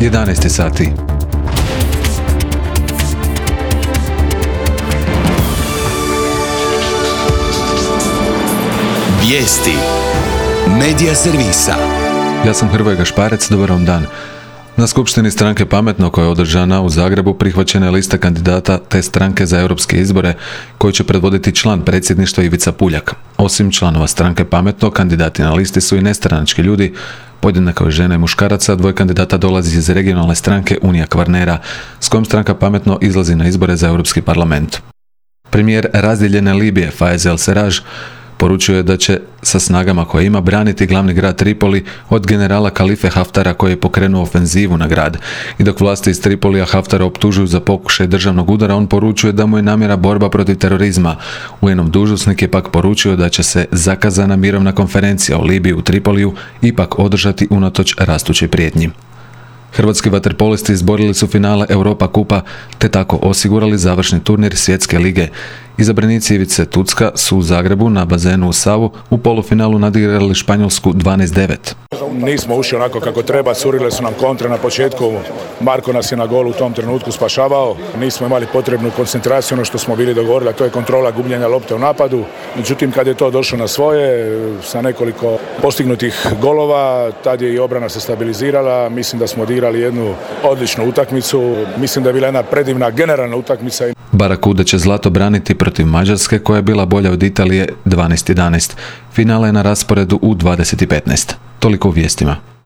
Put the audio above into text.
11 sati. Vijesti Medija servisa. Ja sam Hrvoje Gašparec, dobar vam dan. Na skupštini stranke Pametno koja je održana u Zagrebu prihvaćena je lista kandidata te stranke za europske izbore koju će predvoditi član predsjedništva Ivica Puljak. Osim članova stranke Pametno, kandidati na listi su i nestranački ljudi, podjednako žena i muškaraca. Dvoje kandidata dolazi iz regionalne stranke Unija Kvarnera, s kojom stranka Pametno izlazi na izbore za Europski parlament. Premijer razdijeljene Libije Fayez el-Serraj poručio je da će sa snagama koje ima braniti glavni grad Tripoli od generala Kalife Haftara koji je pokrenuo ofenzivu na grad. I dok vlasti iz Tripolija Haftara optužuju za pokušaj državnog udara, on poručuje da mu je namjera borba protiv terorizma. UN-ov dužnosnik je pak poručio da će se zakazana mirovna konferencija o Libiji u Tripoliju ipak održati unatoč rastućoj prijetnji. Hrvatski vaterpolisti izborili su finale Europa Kupa te tako osigurali završni turnir Svjetske lige. Izabranici Ivice Tucka su u Zagrebu na bazenu u Savu u polufinalu nadigrali Španjolsku 12-9. Nismo ušli onako kako treba, curile su nam kontre na početku, Marko nas je na golu u tom trenutku spašavao, nismo imali potrebnu koncentraciju, ono što smo bili dogovorili, a to je kontrola gubljenja lopte u napadu. Međutim, kad je to došlo na svoje, sa nekoliko postignutih golova, tad je i obrana se stabilizirala, mislim da smo odigrali jednu odličnu utakmicu, mislim da je bila jedna predivna generalna utakmica. Barakuda će zlato braniti protiv Mađarske koja je bila bolja od Italije 12-11. Finale je na rasporedu u 20:15. Toliko u vijestima.